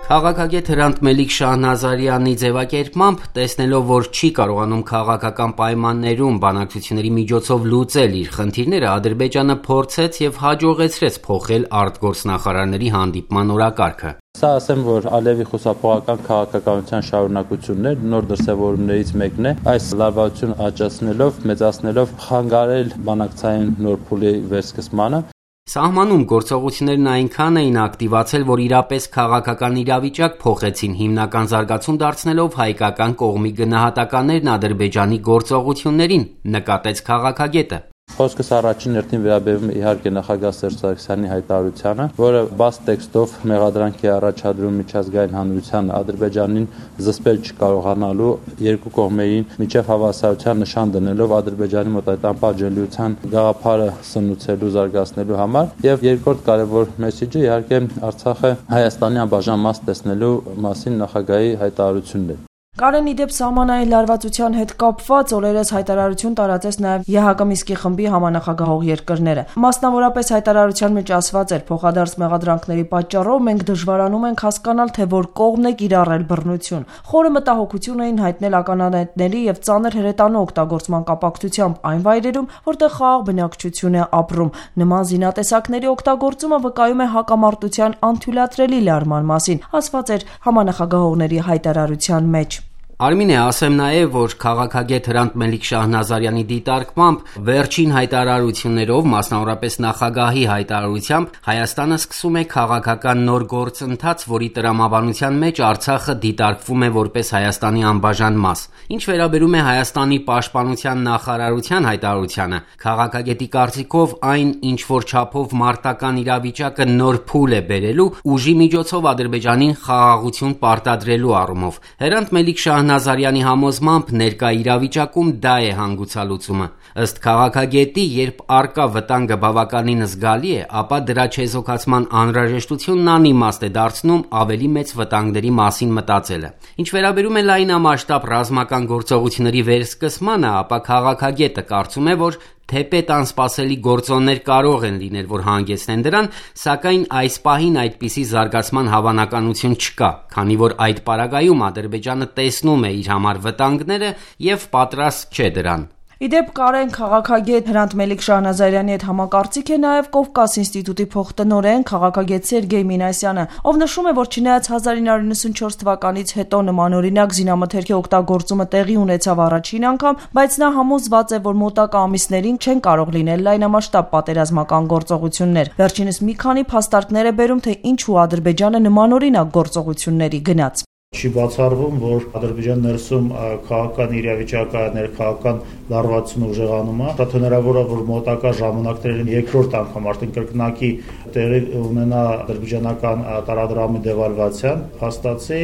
Քաղաքագետ Հրանտ Մելիք Շահնազարյանի ձևակերպմամբ, տեսնելով, որ չի կարողանում քաղաքական պայմաններում բանակցությունների միջոցով լուծել իր խնդիրները, Ադրբեջանը փորձեց եւ հաջողեցրեց փոխել արտգործնախարարների հանդիպման օրակարգը։ Սա ասեմ, որ Ալիևի խուսափողական քաղաքականության շարունակությունն է, նոր դրսևորումներից մեկն է, այս լարվածությունը աճացնելով, մեծացնելով խանգարել բանակցային նոր փուլի վերսկսմանը։ Սահմանում գործողություններն այնքան էին ակտիվացել, որ իրապես քաղաքական իրավիճակ փոխեցին, հիմնական զարգացում դարձնելով հայկական կողմի գնահատականներն Ադրբեջանի գործողություններին, նկատեց քաղաքագետը։ Խոսքս առաջին հերթին վերաբերում է իհարկե նախագահ Սերժ Սարգսյանի հայտարարությանը, որը բաց տեքստով մեղադրանքի առաջադրում միջազգային հանրությանը Ադրբեջանին զսպել չկարողանալու, երկու կողմերին միջև հավասարության նշան դնելով Ադրբեջանի մոտ այդ անպատժելիության գաղափարը սնուցելու, զարգացնելու համար, եւ երկրորդ կարևոր մեսեջը իհարկե Արցախը Հայաստանի անբաժան մաս տեսնելու մասին նախագահի հայտարարությունն է։ Կարեն իդեպ սահմանային լարվածության հետ կապված օրերս հայտարարություն տարածեց նաև ԵՀԿ Մինսկի խմբի համանախագահող երկրները։ Մասնավորապես հայտարարության մեջ ասված էր. փոխադարձ մեղադրանքների պատճառով մենք դժվարանում ենք հասկանալ, թե որ կողմն է կիրառել բռնություն։ Խորը մտահոգություն էին հայտնել ականանետների եւ ծանր հրետանու օգտագործման կապակցությամբ այն վայրերում, որտեղ խաղաղ բնակչություն է ապրում։ Նման զինատեսակների օգտագործումը վկայում է հակամարտության անթույլատրելի լարման մասին, ասված էր համանախագահողների հայտարարության մեջ։ Արմինե, ասեմ նաև, որ քաղաքագետ Հրանտ Մելիք Շահնազարյանի դիտարկմամբ վերջին հայտարարություններով, մասնավորապես նախագահի հայտարարությամբ, Հայաստանը սկսում է քաղաքական նոր գործընթաց, որի տրամաբանության մեջ Արցախը դիտարկվում է որպես Հայաստանի անբաժան մաս։ Ինչ վերաբերում է Հայաստանի պաշտպանության նախարարության հայտարարությանը, քաղաքագետի կարծիքով այն ինչ որ չափով մարտական իրավիճակը նոր փուլ է բերելու ուժի միջոցով Ադրբեջանին խաղաղություն պարտադրելու առումով։ Հրանտ Մելիք Շահնազարյանի համոզմամբ ներկա իրավիճակում դա է հանգուցալուծումը։ Ըստ քաղաքագետի, երբ առկա վտանգը բավականին զգալի է, ապա դրա չեզոքացման անհրաժեշտությունն անիմաստ է դարձնում ավելի մեծ վտանգների մասին մտածելը։ Ինչ վերաբերում է լայնամասշտաբ ռազմական գործողությունների վերսկսմանը, ապա քաղաքագետը կարծում է, որ թեպետ անսպասելի գործոններ կարող են լինել, որ հանգեցնեն դրան, սակայն այս պահին այդպիսի զարգացման հավանականություն չկա, քանի որ այդ պարագայում Ադրբեջանը տեսնում է իր համար վտանգները եւ պատրաստ չէ դրան։ Իդեպ Կարեն քաղաքագետ Հրանտ Մելիք Շահնազարյանի հետ համակարծիք է նաև Կովկաս ինստիտուտի փոխտնօրեն քաղաքագետ Սերգեյ Մինասյանը, ով նշում է, որ չնայած 1994 թվականից հետո նմանօրինակ զինամթերքի օգտագործումը տեղի ունեցավ առաջին անգամ, բայց նա համոզված է, որ մոտակա ամիսներին չեն կարող լինել լայնամասշտաբ պատերազմական գործողություններ։ Վերջինս մի քանի փաստարկներ է բերում, թե ինչու Ադրբեջանը նմանօրինակ գործողությունների գնաց։ Չի բացառվում, որ Ադրբեջան ներսում քաղաքական իրավիճակը, ներքաղաքական լարվածությունը ուժեղանում է։ Շատ հնարավոր է, որ մոտակա ժամանակներին երկրորդ անգամ արդեն կրկնակի տեղի ունենա ադրբեջանական տարադրամի դեվալվացիան։ Փաստացի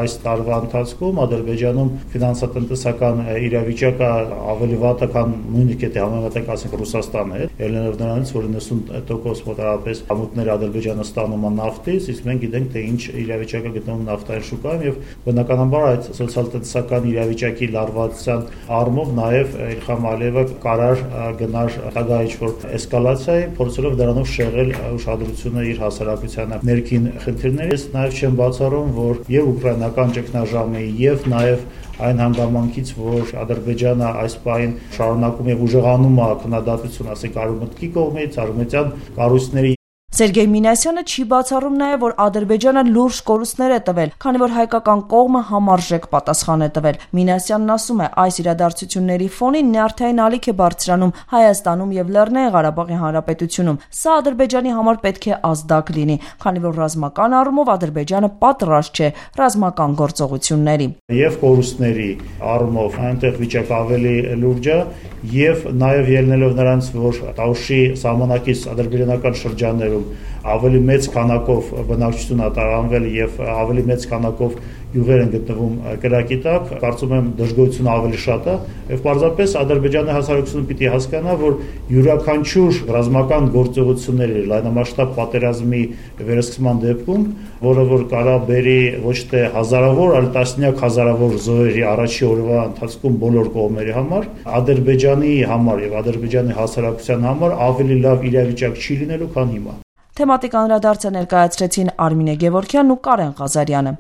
այս տարվա ընթացքում Ադրբեջանում ֆինանսատնտեսական իրավիճակը ավելի վատ է, քան նույնիսկ եթե համեմատենք, ասենք, Ռուսաստանը հետ, ելնելով նրանից, որ 90% մոտավորապես ամուտները Ադրբեջանը ստանում է նավթից, իսկ մենք գիտենք, թե ինչ իրավիճակը գտնվում նավթային շուկայում եւ բնականաբար այդ սոցիալ-տնտեսական իրավիճակի լարվածության առումով նաեւ Իլխամ Ալիևը կարար գնար հետագա ինչ-որ էսկալացիայի, փորձելով դրանով շեղել ուշադրությունը իր հասարակությանը ներքին խնդիրներից։ Նաեւ չեմ բացառում, որ եւ ուկրաինական ճգնաժամի եւ նաեւ այն հանգամանքից, որ Ադրբեջանը այս պահին շարունակում եւ ուժեղանում է քննադատություն, ասենք, արևմուտքի կողմից, արևմտյան կառույցների։ Սերգեյ Մինասյանը չի բացառում նաև, որ Ադրբեջանը լուրջ կորուստներ է տվել, քանի որ հայկական կողմը համարժեք պատասխան է տվել։ Մինասյանն ասում է, այս իրադարձությունների ֆոնին նյարդային ալիք է բարձրանում Հայաստանում եւ Լեռնային Ղարաբաղի Հանրապետությունում։ Սա Ադրբեջանի համար պետք է ազդակ լինի, քանի որ ռազմական առումով Ադրբեջանը պատրաստ չէ ռազմական գործողությունների։ Եվ կորուստների առումով այնտեղ վիճակը ավելի լուրջ է, եւ նաեւ ելնելով նրանց, որ Տաուշի սահմանակից ադրբեջանական շրջաններում ավելի մեծ քանակով բնակչություն է տարանվել եւ ավելի մեծ քանակով յուղեր են գտնվում կրակի տակ, կարծում եմ դժգոհությունը ավելի շատ է եւ պարզապես Ադրբեջանի հասարակությունը պիտի հասկանա, որ յուրաքանչյուր ռազմական գործողությունների լայնամասշտաբ պատերազմի վերսկսման դեպքում, որը որ կարա բերի ոչ թե հազարավոր, այլ տասնյակ հազարավոր զոհերի առաջի օրվա ընթացքում բոլոր կողմերի համար, Ադրբեջանի համար եւ Ադրբեջանի հասարակության համար ավելի լավ իրավիճակ չի լինելու, քան հիմա։ Թեմատիկ անդրադարձը ներկայացրեցին Արմինե Գևորգյանն ու Կարեն Ղազարյանը։